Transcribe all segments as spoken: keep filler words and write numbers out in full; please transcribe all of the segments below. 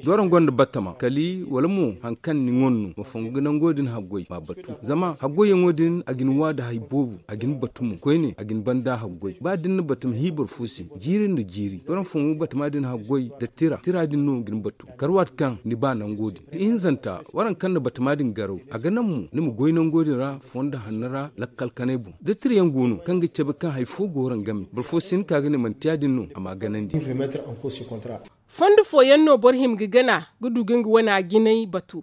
Da waraŋ gonda batama kali wala mo hari kaŋ ni ŋwan no ma fongu ga nango din haggoy ma batu. Zama haggoyyaŋo din a ga ni wa nda hari boobo, a ga ni batu mo koyne, a ga ni banda haggoy. Ba da ni na batama hi boro fo se, jiiri nda jiiri waraŋ fongu batama din haggoy nda tira tira din no ga ni batu. Kala waati kaŋ ni ba nango din, ihinzanta waraŋ kaŋ na batama din garaw, a ga naŋ mo ni ma goy nango din ra fondo hanno ra lakkal kanay boŋ. Da tirayaŋ go no kaŋ ga cabe kaŋ hari fo go waraŋ game, boro fo si hin ka ga ne manti ya- din no a m'a ganandi. Fondo fooyaŋ no boro hima ga gana ga du ga nga wana jinay batu.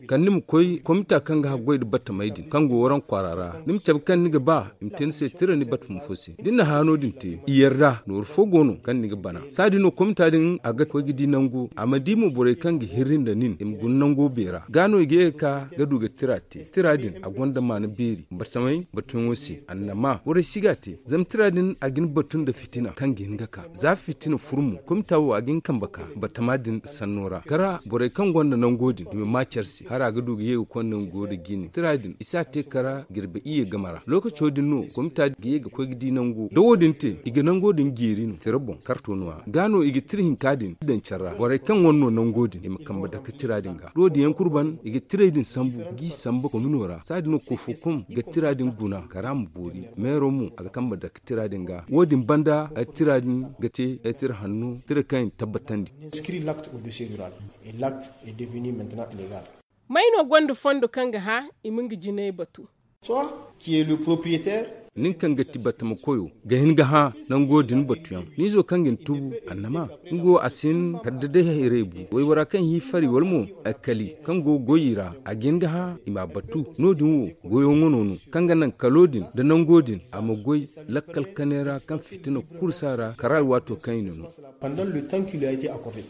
Kala ni ma koy komita kaŋ ga haggoy nda batamey din kaŋ go waraŋ kwaara ra, ni ma cabe kaŋ ni ga ba i ma te ni se tira ni batamo fo se. Da ni na hã no- din te, i yarda nooru fo go no kaŋ ni ga bana. Saadin no komita din a ga koy ga di nango, a ma di mo borey kaŋ ga hirri nda nin i ma guna nango beera. Ga no i ga ye ga ka ga du ga tira te. Tira din a gonda maana beeri batamey batuyaŋo se. Annama borey si ga a te, zama tira din a ga ni batu nda fitina kaŋ ga hin ga ka. Za fitina furu mo, komita wo a ga hin ga kambe ka batama din sanno ra. Kala borey kaŋ gonda nango din i ma ma care se, hara ga du ga ye ga konda nga go nda jine. Tira din i si a te kala jirbi iyye game ra. Lookaco din no komita ga ye ga koy ga di nango. Da wo- din te, i ga nango din jeeri no tira boŋ karto no- ya. Ga no i ga tira hinka din daŋ care ra, borey kaŋ wane no nango din i ma kambe dake tira din ga. Da wo- din yaŋ kulu ban, i ga tirey din sambu, g'i samba komino ra. Saadin no kofokom ga tira din guna kala a ma boori. Meero mo a ga kambe dake tira din ga. Wo- din banda tira din ga te tira hanno, tira kaŋ i na tabbatandi. May no gonda fondo kaŋ ga hã i ma nga jinay batu? Nin kaŋ ga ti batama koyo ga hin ga hã nango din batuyaŋ. Ni izo kaŋ ga ni tubu, annama nga wo a si hin kala da day hayray bu. Waybora kaŋ hii fari wala mo alkali kaŋ go goy i ra, a ga hin ga hã i m'a batu. No- din wo goyo ŋwano no kaŋ ga naŋ kalo din nda nango din a ma goy lakkal kanay ra kaŋ fitina kulu si a ra kala alwaato kaŋ i na no. Pandan le temps ki lui a été accordé.